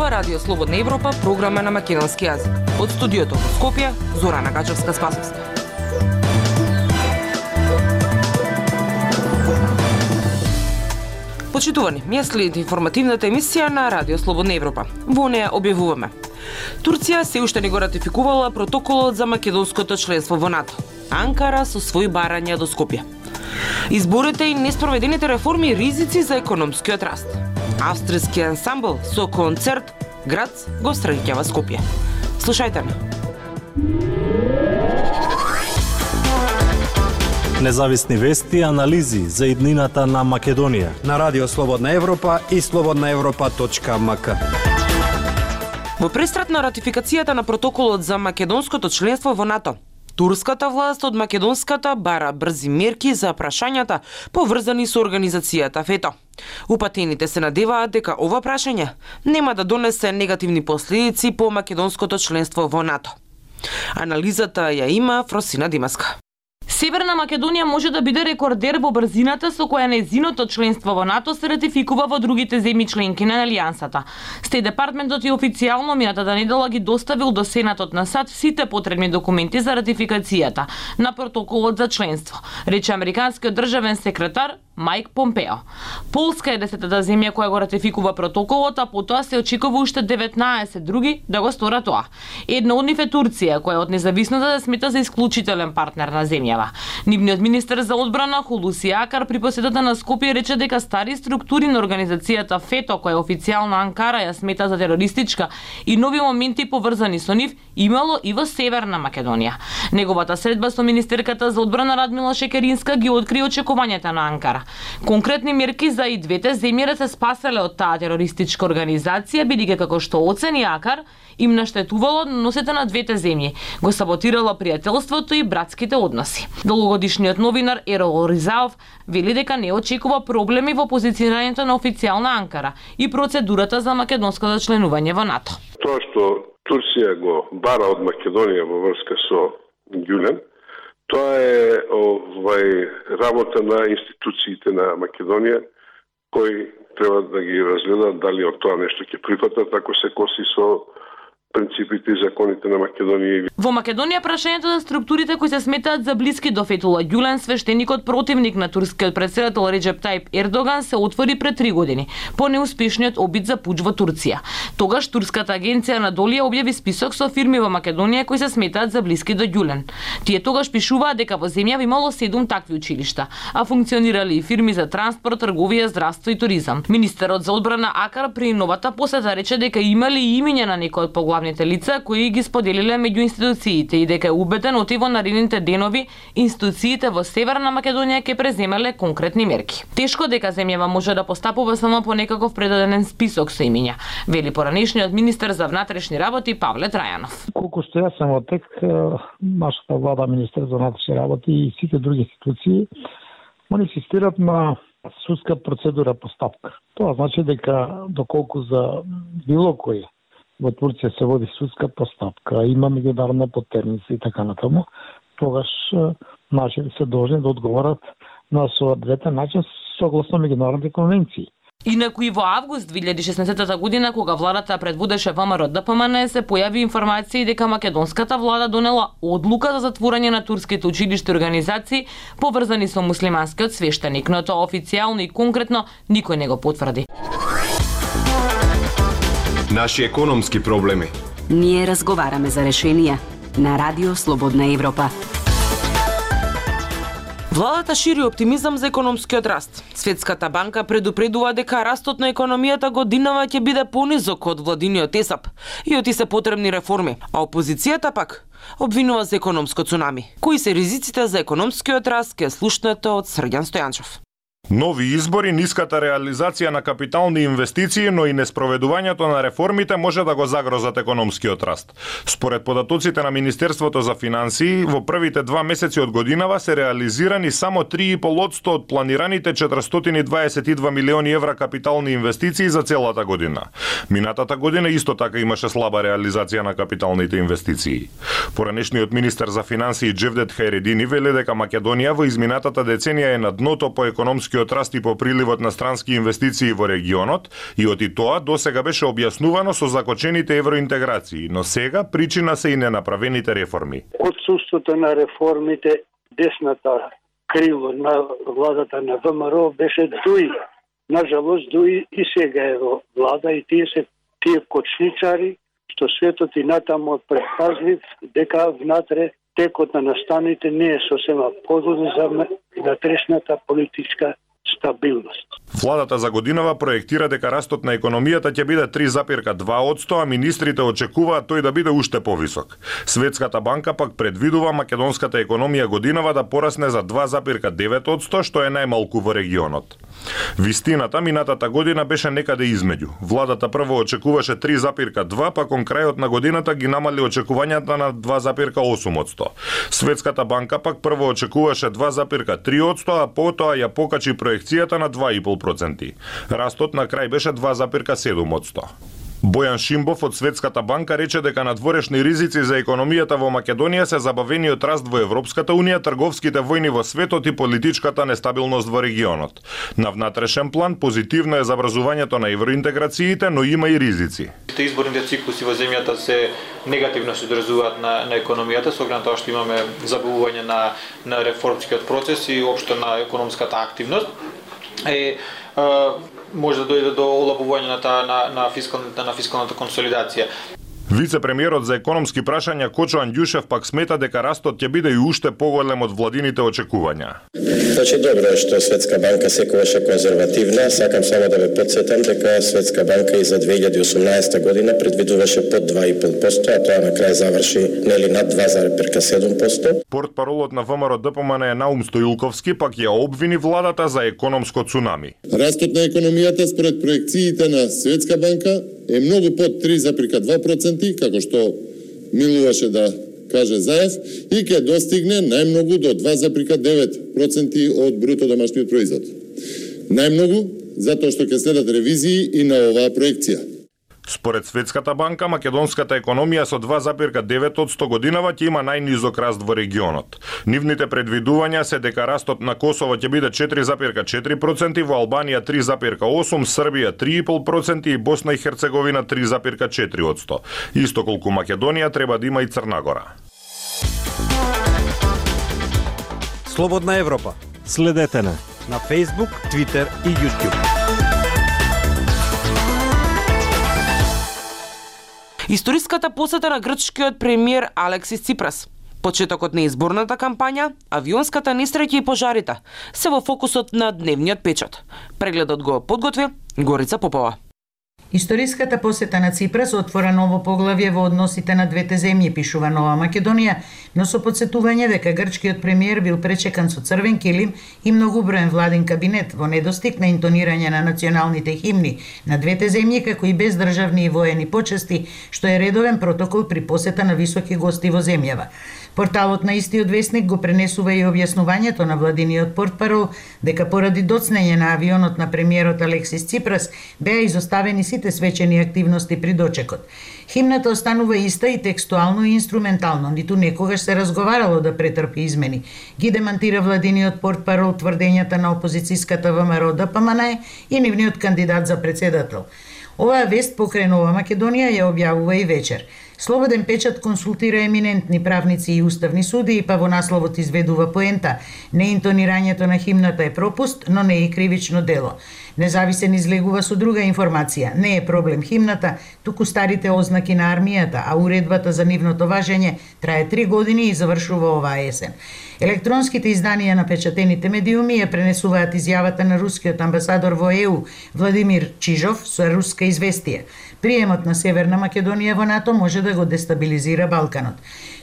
Ова Радио Слободна Европа, програма на македонски јазик. Од студиото во Скопје, Зорана Гачевска-Спасовска. Почитувани, ја следите информативната емисија на Радио Слободна Европа. Во неја објавуваме: Турција се уште не го ратификувала протоколот за македонското членство во НАТО. Анкара со своји барања до Скопје. Изборите и неспроведените реформи и ризици за економскиот раст. Австријски ансамбл со концерт Грац го среќава Скопје. Слушајте ме. Независни вести и анализи за иднината на Македонија на Радио Слободна Европа и slobodnaevropa.mk. Во престрат на ратификацијата на протоколот за македонското членство во НАТО, турската власт од македонската бара брзи мерки за прашањата поврзани со организацијата ФЕТО. Упатените се надеваат дека ова прашање нема да донесе негативни последици по македонското членство во НАТО. Анализата ја има Фросина Димаска. Северна Македонија може да биде рекордер во брзината со која нејзиното членство во НАТО се ратификува во другите земји членки на Алијансата. Стеј департментот и официјално минатата недела ги доставил до Сенатот на САД сите потребни документи за ратификацијата на протоколот за членство, рече американскиот државен секретар Мајк Помпео. Полска е 10-та земја која го ратификува протоколот, а потоа се очекува уште 19 други да го сторат тоа. Една од нив е Турција, која од независноста да смета за исклучителен партнер на земјава. Нивниот министер за одбрана Хулуси Акар при посетата на Скопје рече дека стари структури на организацијата ФЕТО, која официјално Анкара ја смета за терористичка, и нови моменти поврзани со нив имало и во Северна Македонија. Неговата средба со министерката за одбрана Радмила Шекеринска ги откри очекувањата на Анкара. Конкретни мерки за и двете земји да се спаселе од таа терористичка организација, бидејќи како што оцени Акар, им наштетувало односите на двете земји, го саботирало пријателството и братските односи. Долгогодишниот новинар Ерол Ризаов вели дека не очекува проблеми во позиционирањето на официјална Анкара и процедурата за македонското членување во НАТО. Тоа што Турција го бара од Македонија во врска со Ѓулен, тоа е работа на институциите на Македонија, кои треба да ги разгледат дали од тоа нешто ќе прифатат, ако се коси со принципите и законите на Македонија. Во Македонија прашањето за структурите кои се сметаат за блиски до Фетула Ѓулен, свештеникот противник на турскиот претседател Реджеп Тајип Ердоган, се отвори пред 3 години, по неуспешниот обид за пуч во Турција. Тогаш турската агенција Анадолија објави список со фирми во Македонија кои се сметаат за блиски до Ѓулен. Тие тогаш пишуваат дека во земјава имало 7 такви училишта, а функционирали и фирми за транспорт, трговија, здравство и туризам. Министерот за одбрана Акар при новата посета рече дека имали и имиња на некои од главните лица кои ги споделиле меѓу институциите и дека е убеден оти во наредните денови институциите во Северна Македонија ќе преземеле конкретни мерки. Тешко дека земјава може да постапува само по некаков предаден список со имиња, вели поранешниот министер за внатрешни работи Павле Трајанов. Колку што јас сам отек, нашата влада, министер за внатрешни работи и сите други институции, они инсистират на судска процедура постапка. Тоа значи дека доколку за било кој во Турција се води судска постапка, има меѓународна потерница и така натаму, тогаш наши се должни да одговорат на соодветен начин согласно меѓународните конвенции. Инаку и во август 2016 година, кога владата предводеше ВМРО ДПМН, се појави информации дека македонската влада донела одлука за затворање на турските училишта и организации поврзани со муслиманскиот свештеник, но тоа официјално и конкретно никој не го потврди. Наши економски проблеми. Ние разговараме за решенија на Радио Слободна Европа. Владата шири оптимизам за економскиот раст. Светската банка предупредува дека растот на економијата годинава ќе биде понизок од владиниот ЕСАП и оти се потребни реформи, а опозицијата пак обвинува за економско цунами. Кои се ризиците за економскиот раст, ке слушнете од Срѓан Стојанчев. Нови избори, ниската реализација на капитални инвестиции, но и неспроведувањето на реформите може да го загрозат економскиот раст. Според податоците на Министерството за финансии, во првите 2 месеци од годинава се реализирани само 3,5% од планираните 422 милиони евра капитални инвестиции за целата година. Минатата година исто така имаше слаба реализација на капиталните инвестиции. Поранешниот министер за финансии Джевдет Хайредини вели дека Македонија во изминатата деценија е на дното по економски економскиот раст и по приливот на странски инвестиции во регионот, и оти тоа досега беше објаснувано со закочените евроинтеграции, но сега причина се и ненаправените реформи. Отсуството на реформите, десната крило на владата на ВМРО беше дуи. Нажалост, дуи и сега е во влада и тие кочничари, што светот и натаму предпазлив, дека внатре текот на настаните не е сосема подобен за внатрешната политичка стабилност. Владата за годинава проектира дека растот на економијата ќе биде 3,2%, а министрите очекуваат тој да биде уште повисок. Светската банка пак предвидува македонската економија годинава да порасне за 2,9%, што е најмалку во регионот. Вистината минатата година беше некаде измеѓу. Владата прво очекуваше 3,2%, па кон крајот на годината ги намали очекувањата на 2,8%. Светската банка пак прво очекуваше 2,3%, а потоа ја покачи проекцијата на 2,5%. Растот на крај беше 2,7%. Бојан Шимбов од Светската банка рече дека надворешни ризици за економијата во Македонија се забавениот раст во Европската унија, трговските војни во светот и политичката нестабилност во регионот. На внатрешен план позитивно е забрзувањето на евроинтеграциите, но има и ризици. Изборните циклуси во земјата се негативно се одразуваат на економијата, со оглед на тоа што имаме забавување на реформскиот процес и општо на економската активност. Може да дојде до олабување на фискалната консолидација. Вице-премиерот за економски прашања Кочо Андјушев пак смета дека растот ќе биде и уште поголем од владините очекувања. Значи добро е што Светска банка секогаш е конзервативна. Сакам само да ве потсетам дека Светска банка и за 2018 година предвидуваше под 2,5%, а тоа на крај заврши нели над 2,7%. Портпаролот на ВМРО ДПМН е Наум Стоилковски пак ја обвини владата за економско цунами. Растот на економијата според проекциите на Светска банка е многу под 3,2%, како што милуваше да каже Заев, и ќе достигне најмногу до 2,9% од бруто домашниот производ. Најмногу затоа што ќе следат ревизии и на оваа проекција. Според Светската банка, македонската економија со 2,9% годинава ќе има најнизок раст во регионот. Нивните предвидувања се дека растот на Косово ќе биде 4,4%, во Албанија 3,8%, Србија 3,5% и Босна и Херцеговина 3,4%. Исто колку Македонија треба да има и Црна Гора. Слободна Европа. Следете на Facebook, Twitter и YouTube. Историската посета на грчкиот премиер Алексис Ципрас, почетокот на изборната кампања, авионската несреќа и пожарите се во фокусот на дневниот печат. Прегледот го подготви Горица Попова. Историската посета на Ципрас отвора ново поглавје во односите на двете земји, пишува Нова Македонија, но со подсетување дека грчкиот премиер бил пречекан со црвен килим и многуброен владен кабинет во недостиг на интонирање на националните химни на двете земји, како и без државни и воени почести, што е редовен протокол при посета на високи гости во земјава. Порталот на истиот весник го пренесува и објаснувањето на владиниот портпарол дека поради доцнење на авионот на премиерот Алексис Ципрас беа изоставени сите свечени активности при дочекот. Химната останува иста и текстуално и инструментално, ниту некогаш се разговарало да претрпи измени. Ги демантира владиниот портпарол тврдењата на опозицијската ВМРО ДПМН и нивниот кандидат за председател. Оваа вест покрај Нова Македонија ја објавува и вечер. Слободен печат консултира еминентни правници и уставни суди, па во насловот изведува поента: неинтонирањето на химната е пропуст, но не е и кривично дело. Независен излегува со друга информација: не е проблем химната, туку старите ознаки на армијата, а уредбата за нивното важење трае 3 години и завршува оваа есен. Електронските изданија на печатените медиуми ја пренесуваат изјавата на рускиот амбасадор во ЕУ Владимир Чижов со руска известија. Приемот на Северна Македонија во НАТО може да го дестабилизира Балканот.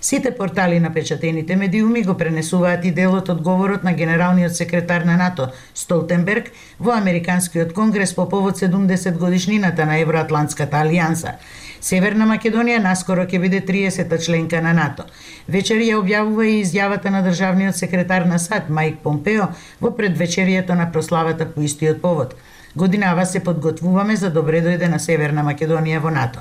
Сите портали на печатените медиуми го пренесуваат и делот од говорот на генералниот секретар на НАТО Столтенберг во Американскиот конгрес по повод 70 годишнината на Евроатлантската алијанса. Северна Македонија наскоро ќе биде 30-та членка на НАТО. Вечер ја објавува и изјавата на државниот секретар на САД Мајк Помпео во предвечерието на прославата по истиот повод. Годинава се подготвуваме за добре дојде на Северна Македонија во НАТО.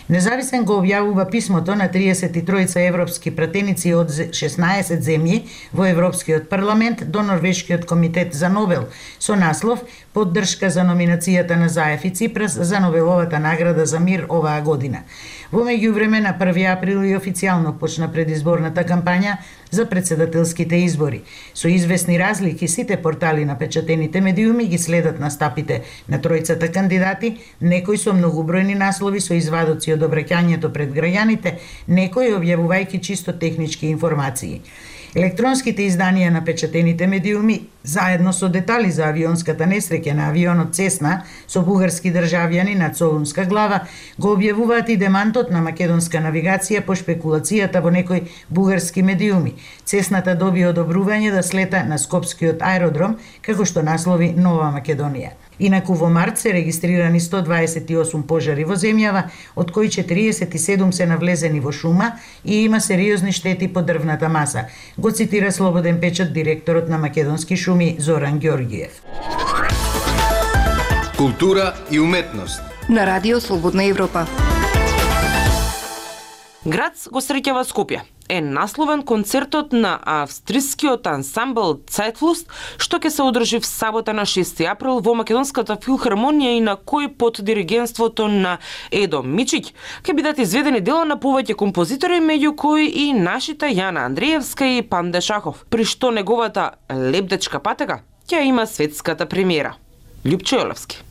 Независен го објавува писмото на 33 европски пратеници од 16 земји во Европскиот парламент до Норвешкиот комитет за Нобел со наслов поддршка за номинацијата на Заев и Ципрас за Нобеловата награда за мир оваа година. Во меѓувреме на 1 април и официјално почна предизборната кампања за председателските избори. Со известни разлики сите портали на печатените медиуми ги следат настапите на тројцата кандидати, некои со многобројни наслови со извадоци од обраќањето пред граѓаните, некои објавувајќи чисто технички информации. Електронските изданија на печатените медиуми, заедно со детали за авионската несреќа на авионот Цесна со бугарски државјани над Солунска глава, го објавуваат и демантот на македонска навигација по шпекулацијата во некои бугарски медиуми. Цесната доби одобрување да слета на Скопскиот аеродром, како што наслови Нова Македонија. Инаку во март се регистрирани 128 пожари во земјава, од кои 47 се навлезени во шума и има сериозни штети по дрвната маса, го цитира Слободен печат директорот на Македонски шуми Зоран Ѓорѓиев. Култура и уметност на Радио Слободна Европа. Грац го среќава Скопје е насловен концертот на австрискиот ансамбл Цајтфлуст, што ќе се одржи в сабота на 6 април во Македонската филхармонија и на кој под диригентството на Едо Мичиќ ќе бидат изведени дела на повеќе композитори, меѓу кои и нашите Јана Андреевска и Панде Шахов, при што неговата Лебдечка патека ќе има светската премиера. Љупчо Јолевски.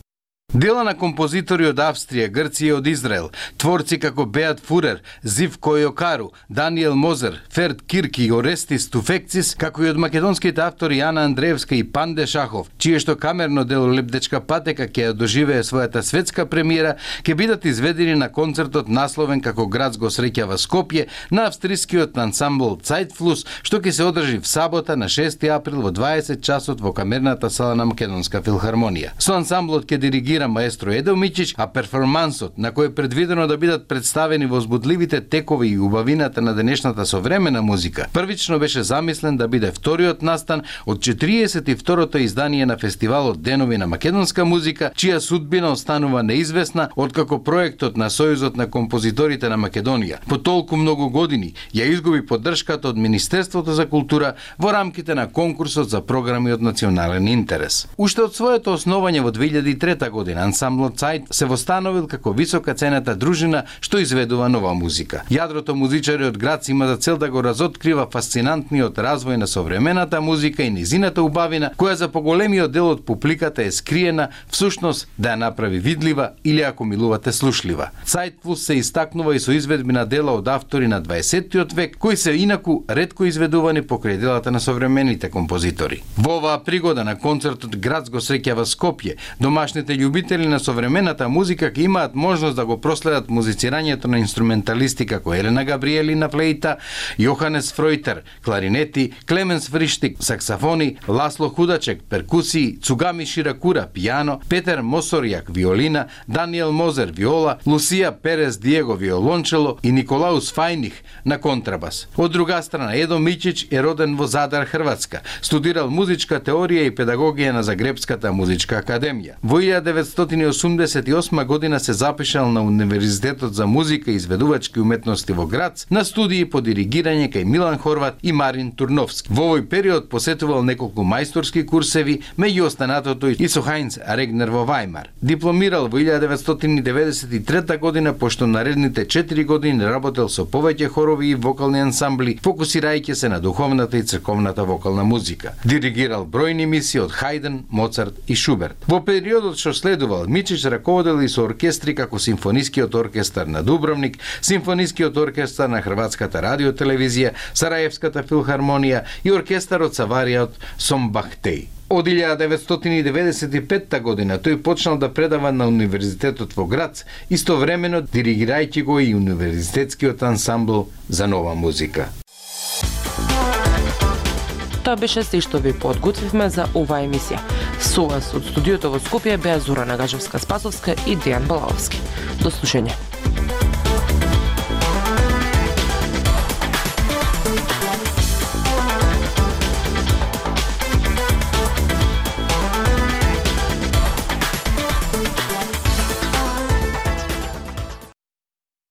Дела на композитори од Австрија, Грција и од Израел, творци како Беат Фурер, Зивко Јокару, Даниел Мозер, Ферд Кирки и Орестис Туфекцис, како и од македонските автори Јана Андреевска и Панде Шахов, чие што камерно дело Лебдечка патека ќе доживее својата светска премиера, ќе бидат изведени на концертот насловен како Грац го среќава Скопје на австрискиот ансамбл Цајтфлус, што ќе се одржи в сабота на 6 април во 20 часот во камерната сала на Македонска филхармонија. Со ансамблот ќе диригира маестро Едо Мичиќ, а перформансот, на кој е предвидено да бидат представени возбудливите текови и убавината на денешната современа музика, првично беше замислен да биде вториот настан од 42-то издание на фестивалот Денови на македонска музика, чија судбина останува неизвестна откако проектот на Сојузот на композиторите на Македонија по толку многу години ја изгуби поддршката од Министерството за култура во рамките на конкурсот за програми од национален интерес. Уште од своето основање во 2003 година ансамблот Цајт се востановил како висока цената дружина што изведува нова музика. Јадрото музичари од Грац има за цел да го разоткрива фасцинантниот развој на современата музика и низината убавина, која за поголемиот дел од публиката е скриена, всушност да ја направи видлива или, ако милувате, слушлива. Цајтфлус се истакнува и со изведби на дела од автори на 20-тиот век, кои се инаку ретко изведувани покрај делата на современите композитори. Во оваа пригода на концертот Грац го среќава Скопје, домашните љубители на современата музика ќе имаат можност да го проследат музицирањето на инструменталисти како Елена Габриели на флејта, Јоханес Фројтер кларинети, Клеменс Фриштик саксофони, Ласло Худачек перкусии, Цугами Ширакура пијано, Петер Мосорјак виолина, Даниел Мозер виола, Лусија Перес Диего виолончело и Николаус Фајних на контрабас. Од друга страна, Едо Мичиќ е роден во Задар, Хрватска. Студирал музичка теорија и педагогија на Загребската музичка академија. Во 1988 година се запишал на Универзитетот за музика и изведувачки уметности во Грац на студии по диригирање кај Милан Хорват и Марин Турновски. Во овој период посетувал неколку мајсторски курсеви, меѓу останатото и со Хајнц Регнер во Вајмар. Дипломирал во 1993 година, пошто наредните 4 години работел со повеќе хорови и вокални ансамбли, фокусирајќи се на духовната и црковната вокална музика. Диригирал бројни мисии од Хајден, Моцарт и Шуберт. Во периодот што следувал, Мичиќ раководел и со оркестри како Симфонискиот оркестар на Дубровник, Симфонискиот оркестар на Хрватската радиотелевизија, Сараевската филхармонија и оркестарот sa Variat Sombahtei. Од 1995 година тој почнал да предава на Универзитетот во Грац, истовремено диригирајќи го и Универзитетскиот ансамбл за нова музика. Тоа беше се што ви подготвивме за оваа емисија. Со вас од студиото во Скопје беа Зорана Гажевска-Спасовска и Дејан Балаовски. До слушање.